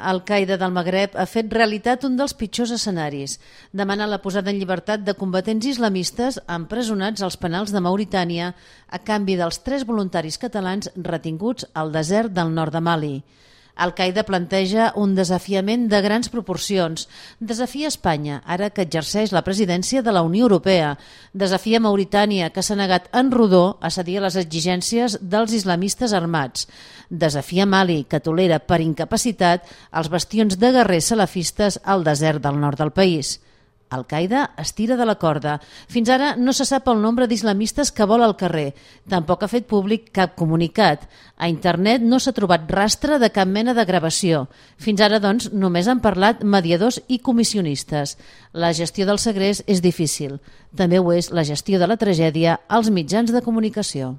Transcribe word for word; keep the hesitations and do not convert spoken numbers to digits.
Al-Qaeda del Magreb ha fet realitat un dels pitjors escenaris. Demana la posada en llibertat de combatents islamistes empresonats als penals de Mauritània a canvi dels tres voluntaris catalans retinguts al desert del nord de Mali. Al-Qaeda planteja un desafiament de grans proporcions. Desafia Espanya, ara que exerceix la presidència de la Unió Europea. Desafia Mauritània, que s'ha negat en rodó a cedir a les exigències dels islamistes armats. Desafia Mali, que tolera per incapacitat els bastions de guerrers salafistes al desert del nord del país. Al-Qaeda es tira de la corda. Fins ara no se sap el nombre d'islamistes que vol al carrer. Tampoc ha fet públic cap comunicat. A internet no s'ha trobat rastre de cap mena de gravació. Fins ara, doncs, només han parlat mediadors i comissionistes. La gestió del segrest és difícil. També ho és la gestió de la tragèdia als mitjans de comunicació.